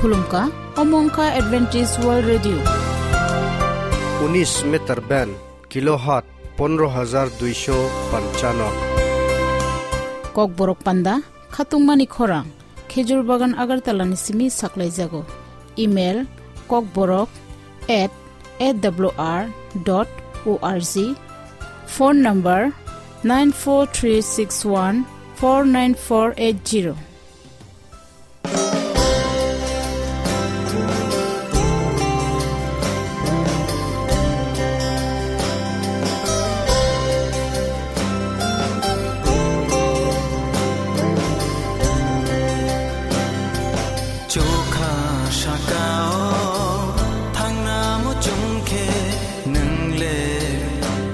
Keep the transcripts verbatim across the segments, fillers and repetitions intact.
Khulumkha, omo wngkha Adventist World Radio. Unis meter band, kilohertz pondro hajar duisho panchano. Kokborok panda, khatungmani khorang, Khejur Bagan Agartala ni simi saklaijago. Email, kokborok at A W R dot O R G. Phone number, nine four three six one four nine four eight zero. Chokha saka-o thangna muchung khe nwng le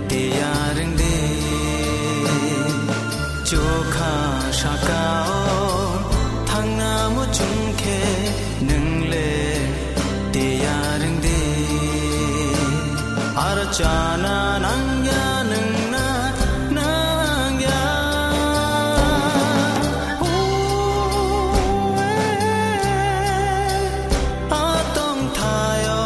tiyar wng di. Chokha saka-o thangna muchung khe nwng le tiyar wng di. Aro chana nangya nwng na nangya. Atong thayo.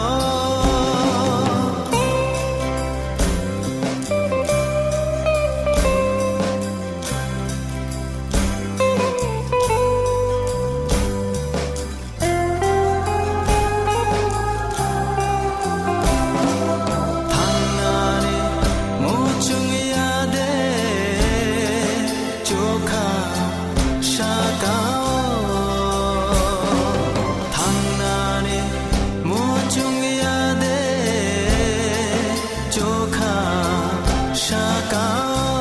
Thangnani muchung ya de, chokha saka-o. Thangnani muchung ya de, chokha saka-o.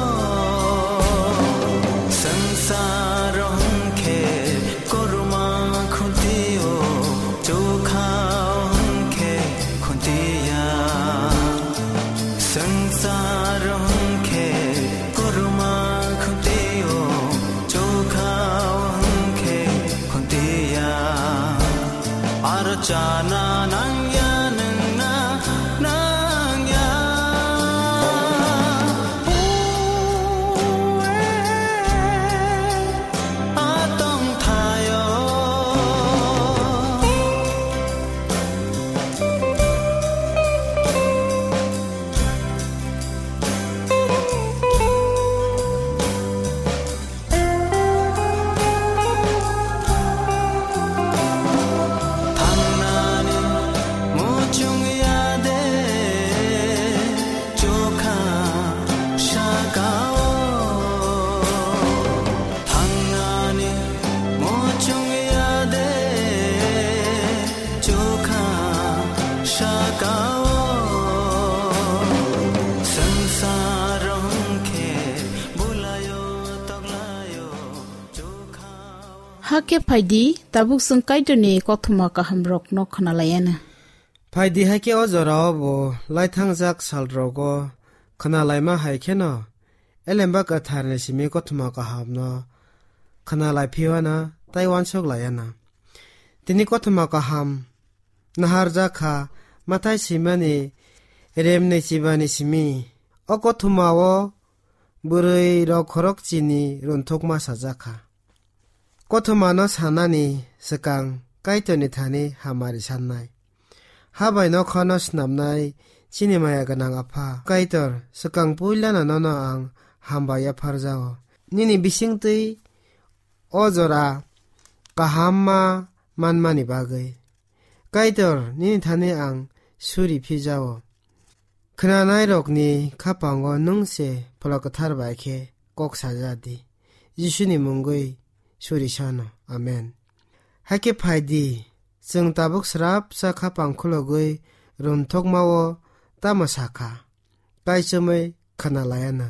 Sangsaro hwnkhe korma khunti-o, chokha-o hwnkhe khuntiya. Sangsaro hwnkhe korma khunti-o, chokha-o hwnkhe khuntiya. Aro chana nangya nwng na nangya. Atong thayo. Thangnani muchung ya de, chokha saka-o. Thangnani muchung ya de, chokha saka-o. Sangsaro hwnkhe bulayo toklayo, chokha-o. Hakhe phaidi, tabuk chwng Kaitorni kothoma kahamrokno khwnalaiana. Phaidi, hakhe o jorao bo laithangjak salrogo khwnalaima hai kheno, Elemba Kwtharni simi kothoma kahamno khwnalai phiwana tei uansuk laiana. Tini kothoma kaham naharjak kha Mathai swimani remni chibani simi. O kothomao bwrwi rok khorok chini runthukma sajak kha. Kothomano sanani swkang Kaitorni thani hamari sannai. Habai nokhorno snamnai chini maya gwnang Apha Kaitor, swkang puilano nono ang hambai yapharjao. Nini bisingtwi o jora kahamma manmani bagwi. Kaitor, nini thani ang suri phijao. Khwnanairokni khapango nwng se Phola Kwthar bai khe kok saja di. Jisuni mungwi suri sano. Amen. Hakhe phai di, chwng tabuk srapsa khapang khulogwi runthokmao tamo sakha, kaichomwi khwnalaiana.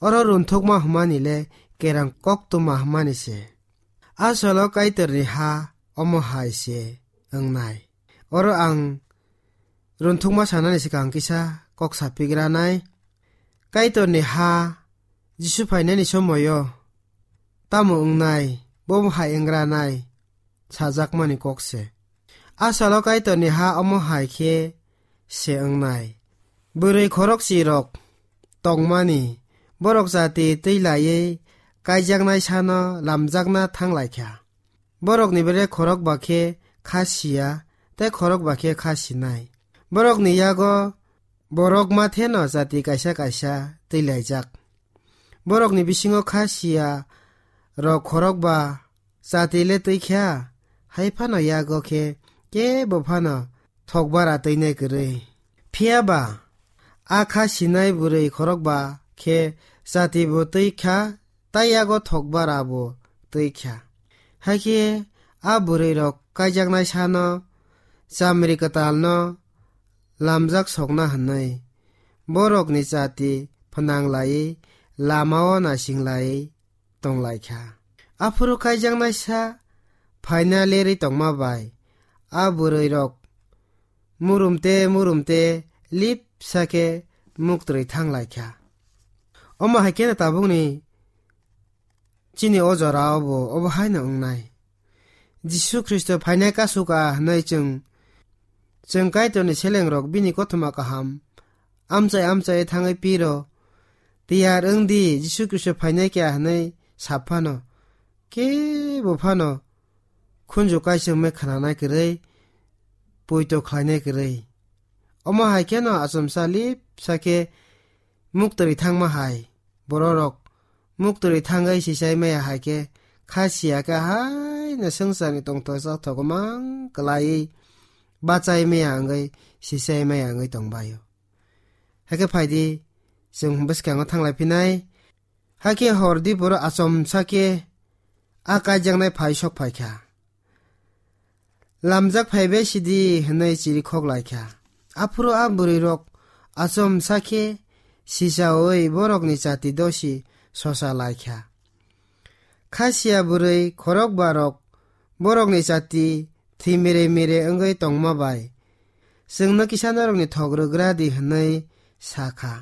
Oro runthokma hwnmani le kerang koktwma hwnmani se. Asolo Kaitorni ha omo hai se wngnai. Oro ang runthokma sanani swkang kisa kok sapigranai. Kaitorni ha Jisu phainani somoio tamo wngnai, bo hai wngranai sajakmani kok se. Asalo Kaitorni ha omo hai khe se wngnai. Bwrwi khorokchi rok tongmani, borok jati twi laiwi kaijaknai sano lamjakna thang lai kha. Borokni bere khorok ba khe kha siya, tei khorokba khe kha sinai. Borokni yago borok matheno jati kaisa kaisa twilaijak. Borokni bisingo kha siya rok khorokba jati le twi kha, hai phano yago khe kebo phano thokbara twinai kwrwi. Phiya ba a kha sinai bwrwi khorokba khe jati bo twi kha, tei yago thokbara bo twi kha. Hakhe a bwrwi rok kaijaknai sano chamri kwtalno lamjak sokna hwnwi borokni jati phnang laiwi lamao naising laiwi tong lai kha. Aphuru kaijaknaisa phaina lerwi tongma bai a bwrwi rok murum te murum te lipsa khe muktwi thang lai kha. Omo hai kheno tabukni chini o jora o bo obo haino wngnai. Jisu Khristo phainai kasuk a hwnwi chwng, chwng Kaitorni selengrok bini kothoma kaham amchai amchai thangwi piro. Tiyar wng di, Jisu Khristo phainai kha hwnwi sap phano, kebo phano khunju kaisingmai khnanai kwrwi, poito khlainai kwrwi. Omo hai kheno achomsa lipsa khe muktwi thangma hai bororok muktwi thangwi sisai maya hai khe kha siya khe haino swngcharni tongthok chathok mang kwlaiwi bachai maya wngwi sisai maya wngwi tongbaio. Hakhe phaidi, chwng bwskango thanglai phinai. Hakhe hor diporo achomsa khe a kaijaknai phai sok phai kha. Lamjak phaibai sidi hwnwi chirikhok lai kha. Aphuru a bwrwi rok achomsa khe sichaui borokni chati dosi sosa lai kha. Kha siya bwrwi khorokba rok borokni chati thwi mire mire wngwi tongma bai, chwngno kisa norokni thok rwgra di hwnwi sa kha.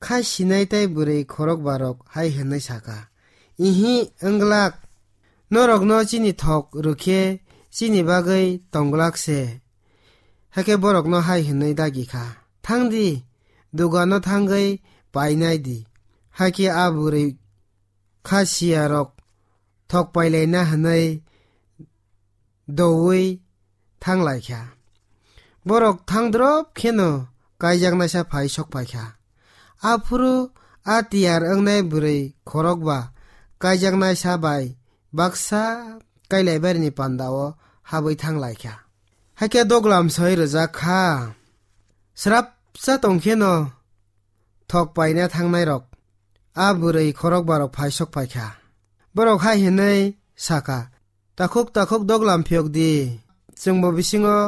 Kha sinai tei bwrwi khorokba rok hai hwnwi sa kha, "Ihi, wng glak, norokno chini thok rw khe chini bagwi tong glak se." Hakhe borokno hai hwnwi dagi kha, "Thang di, dugano thangwi painai di." Hakhe a bwrwi kha siya rok thok pailaina hwnwi doui thang lai kha. Borok thang drop kheno kaijaknaisa phai sok pai kha. Aphuru a tiyar wngnai bwrwi khorokba kaijaknaisa bai baksa kailaibarini pandao habwi thang lai kha. Hakhe doglam soi rwjak kha. Srapsa tong kheno thok paina thangnairok a bwrwi khorokbarok phai sok pai kha. Borok hai hwnwi sa kha, "Takhuk takhuk doglam phiyok di, chwngbo bisingo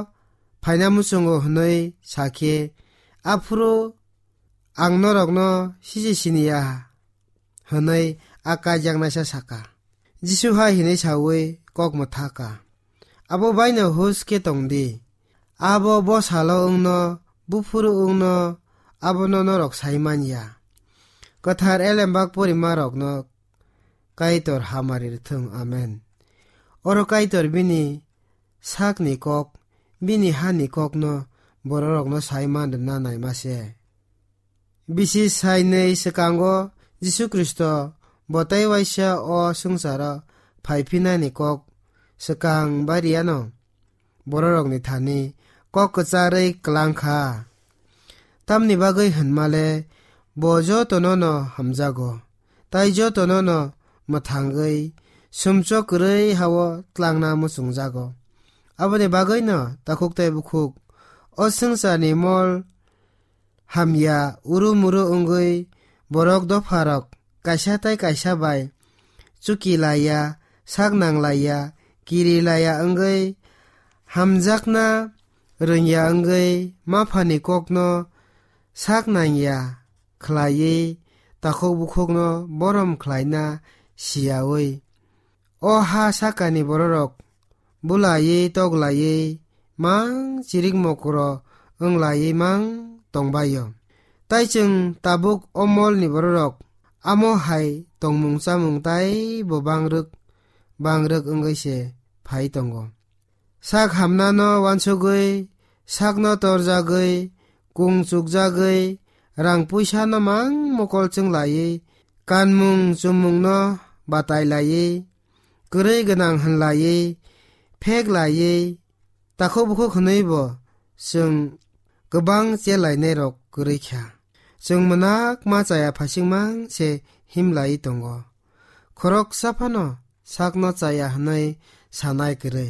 phaina muchungo," hwnwi sa khe, "Aphuru ang norokno siji sini ya," hwnwi a kaijaknaisa sa kha. Jisu hai hwnwi saui kok mwtha kha, "Abo baino hus khe tong di. Abo bwsalo wngno, buphuru wngno, abono norok sai man ya. Kwthar elembak porimarokno Kaitor hamari rwthwng. Amen." Oro Kaitor bini sakni kok, bini hani kokno bororokno sai man rwna naima se. Bisi sainwi swkango Jisu Khristo bo tei waisa o swngcharo phai phinani kok swkang bariano bororokni thani kok kwcharwi klang kha. Tamni bagwi hwnmale bo jotono'-no hamjago, tai jotono'-no mwthangwi sumchok kwrwi ha-o tlangna muchungjago. Aboni bagwino takhuk tei bukhuk o swngcharni mol hamya uru muru wngwi borok dopharok kaisa tai kaisa bai chuki laiya, sak nang laiya, kiri laiya wngwi hamjakna rwngya wngwi maphani kokno sak nangya khlaiwi takhuk bukhukno borom khlaina siyaui, o ha sakani bororok bulaiwi toklaiwi mang chirik mokro wnglaiwi mang tongbaio. Tai chwng tabuk o molni bororok amo hai tongmung chamung taibo bangrwk bangrwk wngwi se phai tongo. Sak hamnano wansugwi, sakno torjagwi, kung chukjagwi, rang puisano mang mokol chwnglaiwi, kanmung chumungno batai laiwi, kwrwi gwnang hwnlaiwi, phek laiwi, Takhuk bukhuk hwnwi bo chwng kwbang chelainairok kwrwi kha. Chwng mwnakma chaya phasingmang se himlaiwi tongo. Khoroksa phano sakno chaya hwnwi sanai kwrwi.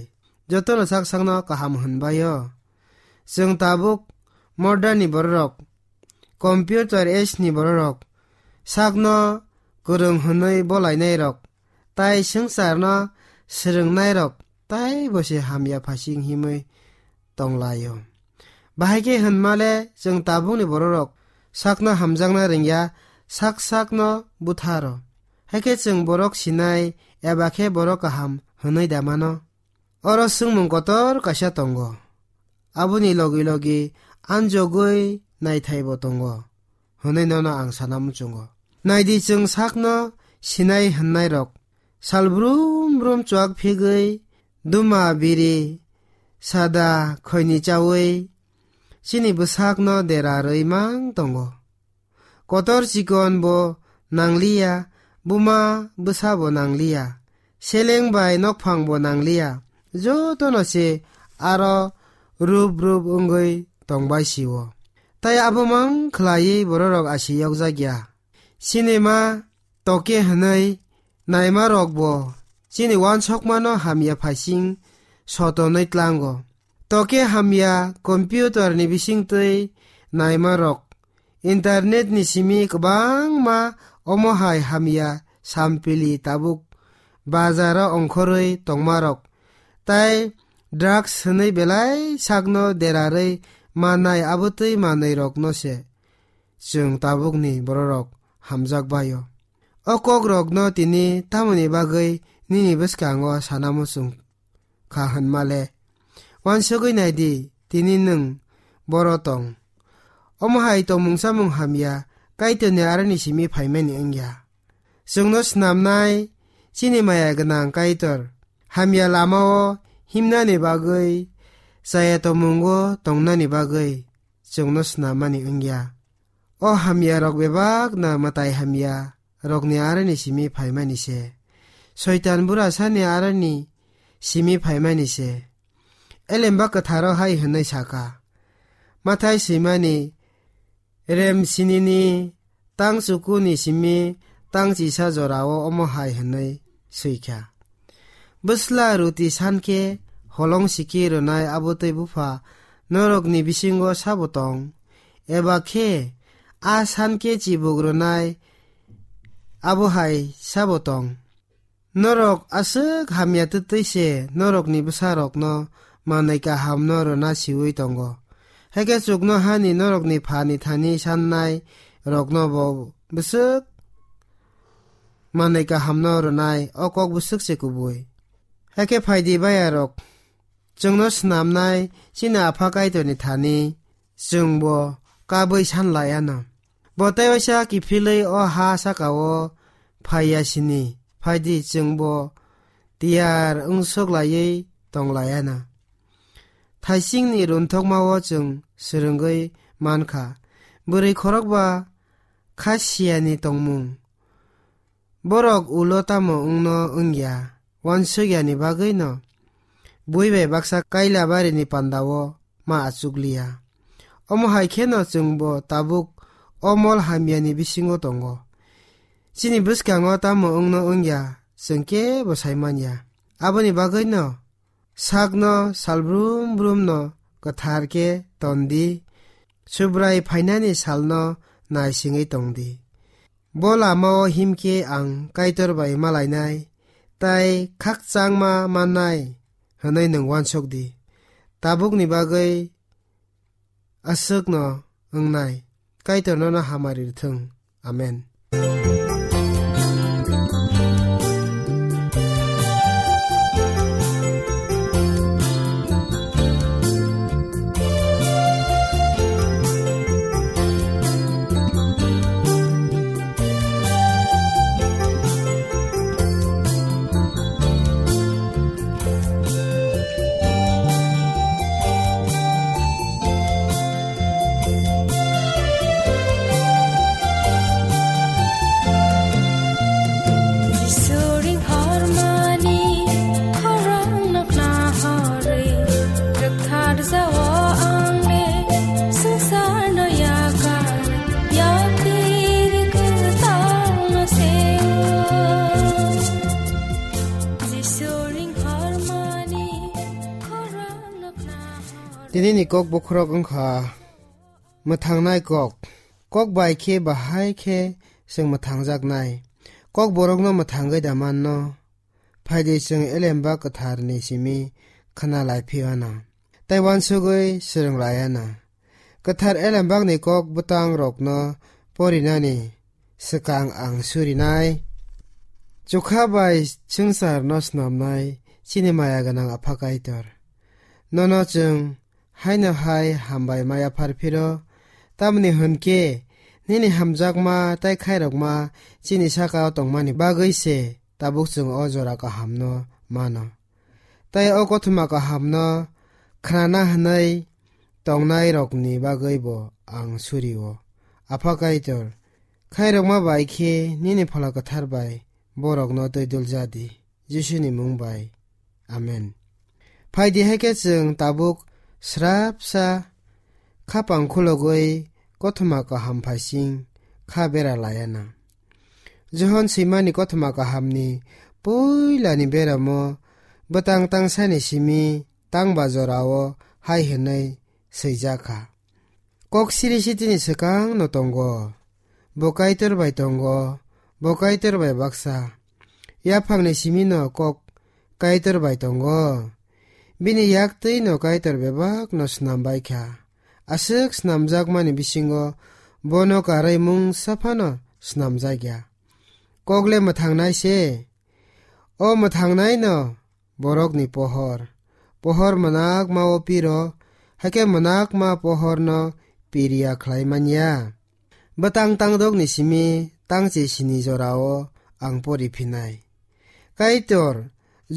Jotono sak sakno kaham hwnbai-o. Chwng tabuk modern ni bororok, computer age ni bororok, sakno kwrwng hwnwi bolainairok, tai swngcharno swrwngnairok, tai bo se hamya phasing himwi tonglaio. Bahai khe hwnmale chwng tabukni bororok sakno hamjakna rwngya, sak sakno butharo. Haikhe chwng borok sinai eba khe borok kaham hwnwi da mano? Oro swngmung kotor kaisa tongo. Aboni logi logi anjogwi naithaibo tongo hwnwi nono ang sana muchungo. Naidi chwng sakno sinai hwnnairok, sal brum brum chuak phigwi, duma biri, sada khoini chaui chini bwsakno dera rwi mang tongo. Kotor chikon bo nangliya, buma bwsa bo nangliya, seleng bai nokphang bo nangliya, jotono se aro rup rup wngwi tongbai sio. Tai abo mang khlaiwi bororok asi yokjakya. Sinima toke hwnwi naimarok bo chini wansokmano hamya phaising sotonwi tlango. Toke hamya computer ni bisingtwi naimarok, internet ni simi kwbangma omo hai hamya sampili tabuk bazaro ongkhorwi tongmarok, tai drugs hwnwi belai sakno derarwi mannai abotwi manwirokno se chwng tabukni bororok hamjakbai-o. O kokrokno tini tamoni bagwi nini bwskango sana muchung kha hwnmale? Wansugwi naidi, tini nwng boro tong. Omo hai tongmung chamung hamya Kaitorni aroni simi phaimani wngya. Chwngno snamnai chini maya gwnang Kaitor hamya lamao himnani bagwi, chaya tongmungo tongnani bagwi chwngno snammani wngya. O hamyarok bebakno mwtai hamya rokni aroni simi phaimani se. Soitan burasani aroni simi phaimani se. Elemba kwtharo hai hwnwi saka, Mathai swimani rem sinini tang chukuni simi tang chisa jorao omo hai hwnwi swikha. Bwsla ruti sankhe holong siki rwnai abo tei bupha norokni bisingo sabo tong? Eba khe a sankhe chibuk rwnai abo hai sabo tong? Norok aswk hamya twtwi se norokni bwsarokno manwi kahamno rwna siwi tongo. Haikhe chuknohani norokni phani thani sannai rokno bo bwswk manwi kahamno rwnai, o kok bwswk se kubui. Haikhe phaidi bayarok, chwngno snamnai chini Apha Kaitorni thani chwngbo kabui sanlaiano. Bo tei waisa kiphilwi o ha sakao phaiya sini, phaidi chwngbo tiyar wngsuk laiwi tonglaiyana. Thaisingni runthokmao chwng swrwngwi mankha, bwrwi khorokba kha siyani tongmung. Borok ulo tamo wngno wngya, uansuk yani bagwino bui bai baksa kaila barini pandao ma achukliya. Omo hai kheno chwngbo tabuk o mol hamyani bisingo tongo. Chini bwskango tamo wngno wngya, chwng kebo sai manya. Aboni bagwino sakno salbrum brumno kwthar khe ton di, Subrai phainani salno naisingwi tong di. Bo lamao him khe ang Kaitor bai malainai tei khakchangma mannai hwnwi nwng uansuk di. Tabukni bagwi aswkno wngnai. Kaitor nono hamari rwthwng. Amen. Tini ni kok bokhorok wngkha mwthangnai kok. Kok bai khe bahai khe chwng mwthangjaknai. Kok borokno mwthangwi da manno. Phaidi chwng Elembak Kwtharni simi khna lai phiyana. Tei uansugwi swrwng layana. Kwthar Elembakni kok bwtang rokno porinani swkang ang surinai. Chukha bai swngcharno snamnai chini maya gwnang Apha Kaitor. Nono chwng haino hai hambai ma yaphar phiro, tamni hwn khe nini hamjakma tei khairokma chini saka-o tongmani bagwi se tabuk chwng o jora kahamno mano. Tei o kothoma kahamno khnana hwnwi tongnairokni bagwi bo ang suri-o. Apha Kaitor, khairokma bai khe nini Phola Kwthar bai borokno twi dul ja di. Jisuni mung bai. Amen. Phai di, hai khe chwng tabuk srapsa khapang khulogwi kothoma kaham phaising kha bera layana. Johon swimani kothoma kahamni puilani beramo bwtang tangsani simi tangba jorao hai hwnwi swijak kha. Kok siri sitini swkangno tongo. Bo Kaitor bai tongo, bo Kaitor bai baksa. Yaphangni simino kok Kaitor bai tongo. Bini yak twino Kaitor bebakno snam bai kha. Aswk snamjakmani bisingo bono karwi mungsa phano snamjak ya. Kok le mwthangnai se. O mwthangnaino borokni pohor. Pohor mwnakma-o piro, hai khe mwnakma pohorno piriya khlai man ya. Bwtang tangdokni simi tangchi sini jorao ang pori phinai. Kaitor,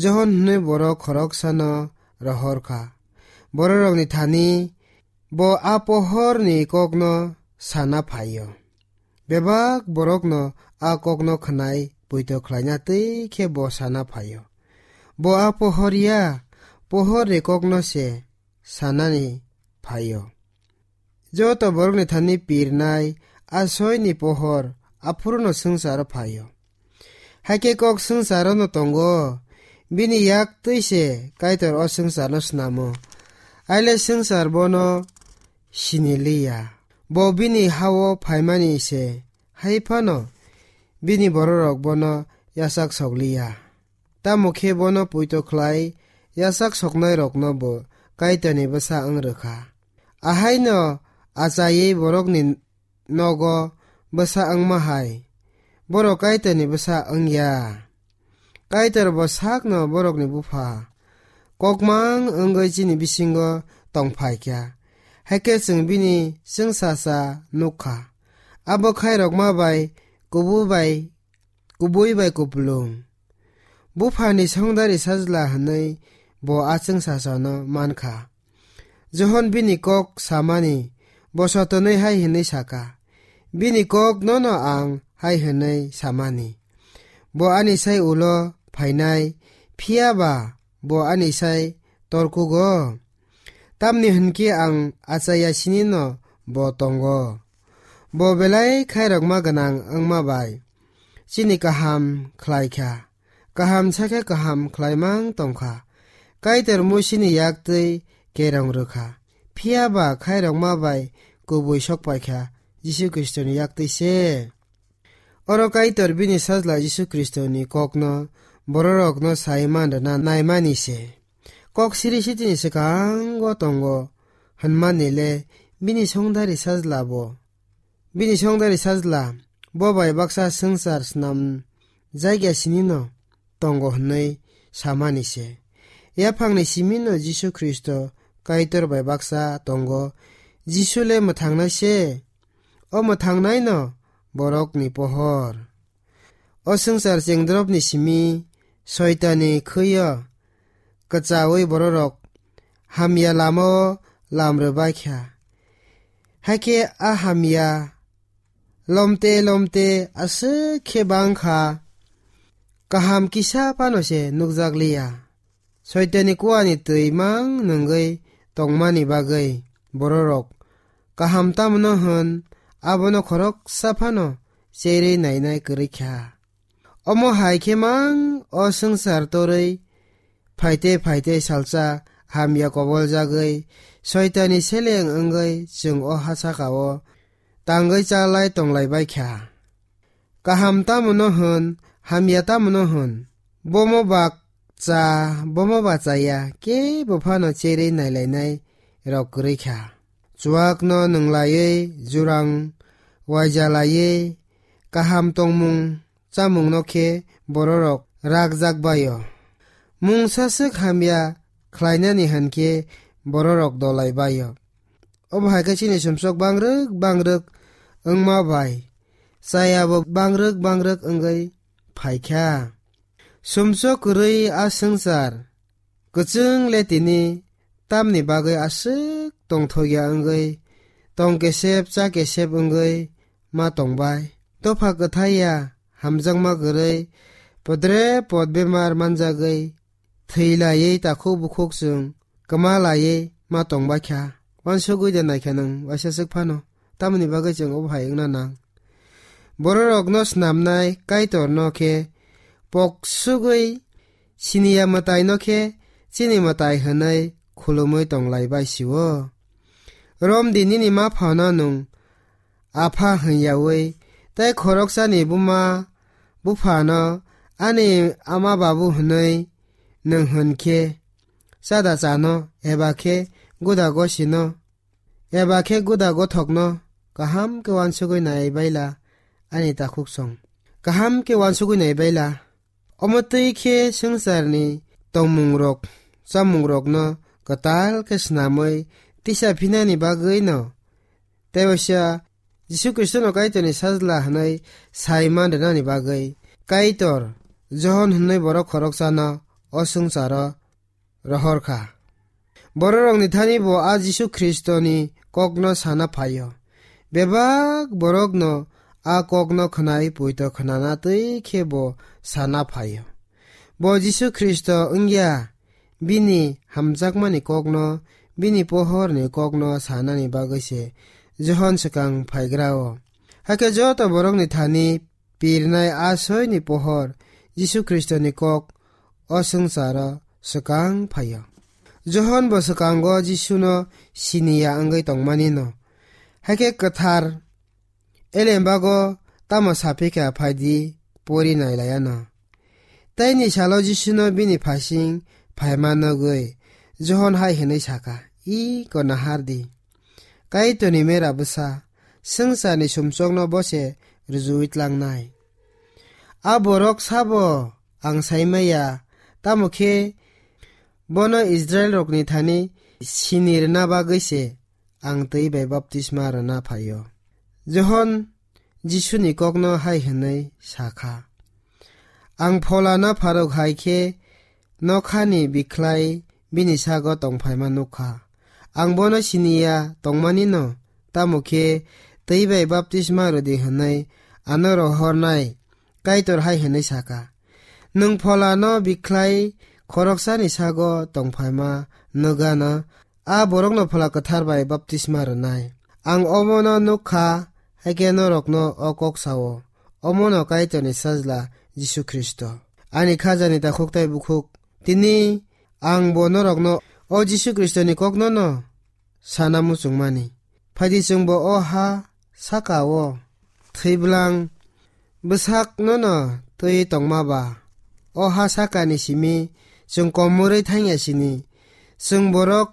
Johon hwnwi borok khoroksano rohor kha. Bororokni thani bo a pohorni kokno sana phaio. Bebak borokno a kokno khwnai poito khlaina twi khe bo sana phaio. Bo a pohor ya, pohorni kokno se sanani phaio. Joto borokni thani pirnai a soini pohor aphuruno swngcharo phaio. Hai khe kok swngcharono tongo, bini yak twi se Kaitor o swngcharno snamo. Aile swngchar bono sini liya. Bo bini ha-o phaimani se, hai phano bini bororok bono yachak sok liya. Tamo khe bono poito khlai yachak soknairokno bo Kaitorni bwsa wng rwkha. Ahaino achaiwi borokni nogo bwsa wngma hai, borok Kaitorni bwsa wng ya. Kaitor bo sakno borokni bupha. Kokmang wngwi chini bisingo tong phai kha. Hai khe chwng bini chwngsacha nuk kha. Abo khairokma bai kubui bai, kubui bai kupulung. Buphani songdari sajla hwnwi bo a chwngsachano man kha. Johon bini kok samani bo sotonwi hai hwnwi sa kha, "Bini kok nono ang hai hwnwi samani, bo ani sai ulo phainai, phiya ba bo ani sai torkugo. Tamni hwn khe ang achaiya sinino bo tongo. Bo belai khairokma gwnang wngma bai chini kaham khlai kha. Kaham sa khe kaham khlaimang tong kha. Kaitor Musini yak twi kerong rw kha. Phiya ba khairokma bai kubui sok pai kha, Jisu Khristoni yak twi se." Oro Kaitor bini Sajla Jisu Khristoni kokno bororokno sai man rwna naimani se. Kok siri sitini swkango tongo hwnmani le bini songdari sajla bo. Bini songdari sajla bo bai baksa swngchar snam jakya sinino tongo hwnwi samani se. Yaphangni simino Jisu Khristo Kaitor bai baksa tongo. Jisu le mwthangnai se. O mwthangnaino borokni pohor. O swngchar chengdropni simi Soitanni khwi-o kwchaui bororok hamya lama-o lam rwbai kha. Hakhe a hamya lomte lomte aswk khe bang kha, kaham kisa phano se nukjak liya. Soitanni kuani twi mang nungwi tongmani bagwi bororok kaham tamno hwn abono khoroksa phano cherwi nainai kwrwi kha. Omo hai khe mang o swngchar torwi phaite phaite salsa hamya koboljagwi, Soitanni seleng wngwi chwng o ha saka-o tangwi chalai tonglai bai kha. Kaham tamo no hwn, hamya tamo no hwn, bomo ba cha, bomo ba chaya, kebo phano cherwi nailainai rok kwrwi kha. Chuak no nwnglaiwi, jurang waijalaiwi, kaham tongmung chamung no khe bororok rakjak bai-o. Mungsa swk hamya khlainani hwn khe bororok dolai bai-o. Obo hai khe chini sumsok bangrwk bangrwk wngma bai chayabo bangrwk bangrwk wngwi phai kha. Sumsok kwrwi a swngchar kwchwng le tini tamni bagwi aswk tongthokya wngwi tong kesep cha kesep wngwi ma tongbai. Dopha kwthai ya hamjakma kwrwi podre pod bemar manjagwi thwi laiwi takhuk bukhuk chwng kwma laiwi ma tongbai kha. Wansugwi de naikha nwng waisa swk phano. Tamoni bagwi chwng obo hai wngna nang. Bororokno snamnai Kaitorno khe poksugwi siniya mwtaino khe chini mwtai hwnwi khulumwi tonglai bai sio. Romdi nini maphano nwng apha hwnyawi tei khoroksani buma buphano ani ama babu hwnwi nwng hwn khe chada chano eba khe guda gosino eba khe guda gothokno kaham khe wansugwi nai baila ani takhuk song. Kaham khe wansugwi nai baila. Omo twi khe swngcharni tongmungrok, chamungrokno kwtal khe snamwi tisa phinani bagwino tei waisa Jisu Khristono Kaitorni sajla hwnwi sai man rwnani bagwi Kaitor Johon hwnwi borok khoroksano o swngcharo rohor kha. Bororokni thani bo a Jisu Khristoni kokno sana phaio. Bebak borokno a kokno khwnai poito khnana twi khe bo sana phaio. Bo Jisu Khristo wngya, bini hamjakmani kokno, bini pohorni kokno sanani bagwi se Johon swkang phaigrao. Hakhe joto borokni thani pirnai a soini pohor Jisu Khristoni kok o swngcharo swkang phaio. Johon bo swkango Jisuno siniya wngwi tongmanino. Hakhe kwthar elembago tamo saphi kha phaidi pori nailaiano. Teini salo Jisuno bini phasing phaima nugwi Johon hai hwnwi sakha, "I ko nahardi." Kaitorni mera bwsa, swngcharni sumsokno bo se rwjui tlangnai. A borok sabo ang saimaya, tamo khe bono Israilrokni thani sini rwna bagwi se ang twi bai baptisma rwna phaio. Johon Jisuni kokno hai hwnwi sa kha, "Ang Pholano pharok hai khe nokhani bikhlai bini sago tongphaima nuk kha. Ang bono siniya tongmanino, tamo khe twi bai baptisma rwdi hwnwi ano rohornai Kaitor hai hwnwi sa kha, 'Nwng Pholano bikhlai khoroksani sago tongphaima nugano, a borokno Phola Kwthar bai baptisma rwnai.' Ang omono nuk kha, hakhe norokno o kok sao, omono Kaitorni Sajla Jisu Khristo, ani khajani takhuk tei bukhuk. Tini ang bo norokno o Jisu Khristoni koknono sana muchungmani. Phaidi chwngbo o ha saka-o thwibwlang bwsaknono twi tongma ba, o ha sakani simi chwng komorwi thangya sini. Chwng borok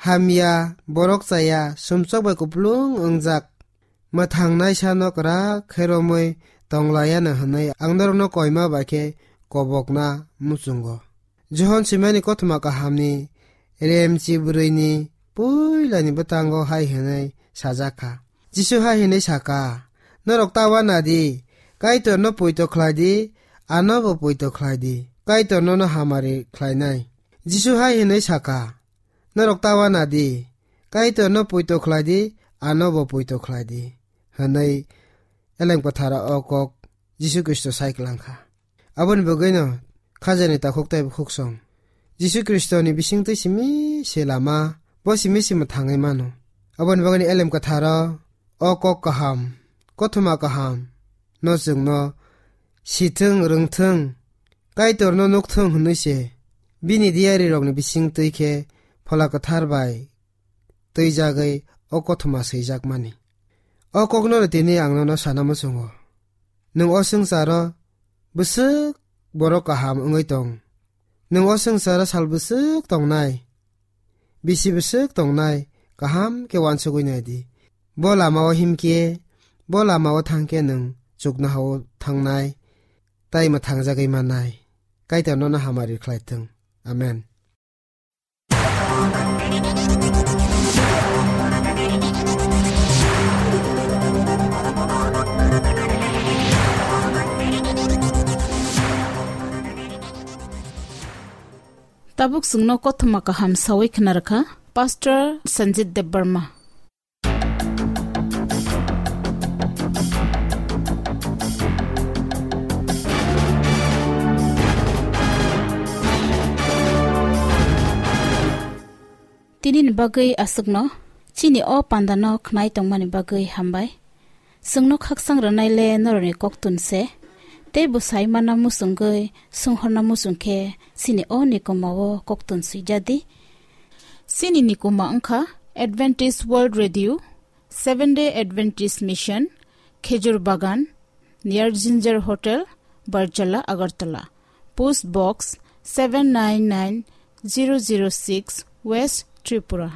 hamya, borok chaya, sumsok bai kupulung wngjak, mwthangnaisano kwrak khe romwi tonglayano hwnwi ang norokno koima bai khe kobokna muchungo." Johon swimani kothoma kahamni remchi bwrwini puilani bwtango hai hwnwi sajak kha. Jisu hai hwnwi sa kha, "Norok ta uanadi, Kaitorno poito khlai di, anobo poito khlai di, Kaitor nono hamari khlainai." Jisu hai hwnwi sa kha, "Norok ta uanadi, Kaitorno poito khlai di, anobo poito khlai di," hwnwi Elem Kwtharo o kok Jisu Khristo sai klang kha. Aboni bagwino khajani takhuk tei bukhuk song Jisu Khristoni bisingtwi simi se lama, bo simi se mwthangwi mano. Aboni bagwino Elem Kwtharo o kok kaham, kothoma kaham no chwngno sithwng, rwngthwng, Kaitorno nukthwng hwnwi se bini diyarirokni bisingtwi khe Phola Kwthar bai twijagwi o kothoma swijakmani. O kokno tini ang nono sana muchungo. Nwng o swngcharo bwswk borok kaham wngwi tong. Nwng o swngcharo sal bwswk tongnai, bisi bwswk tongnai, kaham khe uansugwi nai di. Bo lamao himkhe, bo lamao thangkhe nwng chuknohao thangnai, tei mwthangjagwi mannai. Kaitor nono hamari khlai thung. Amen. Tabuk chwngno kothoma kaham sawi khna rwkha Pastor Sanjit Debbarma. Tinini bagwi aswkno, chini o pandano khnai tongmani bagwi hambai. Chwngno khaksang rwnaile norokni koktun se, tei bwsai mana muchungwi swnghorna muchung khe chini o nikoma o koktun swijadi. Chini nikoma wngkha Adventist World Radio, Seventh Day Adventist Mission, Khejur Bagan, near Ginger Hotel, Barjala, Agartala. Post Box seven nine nine zero zero six, West Tripura.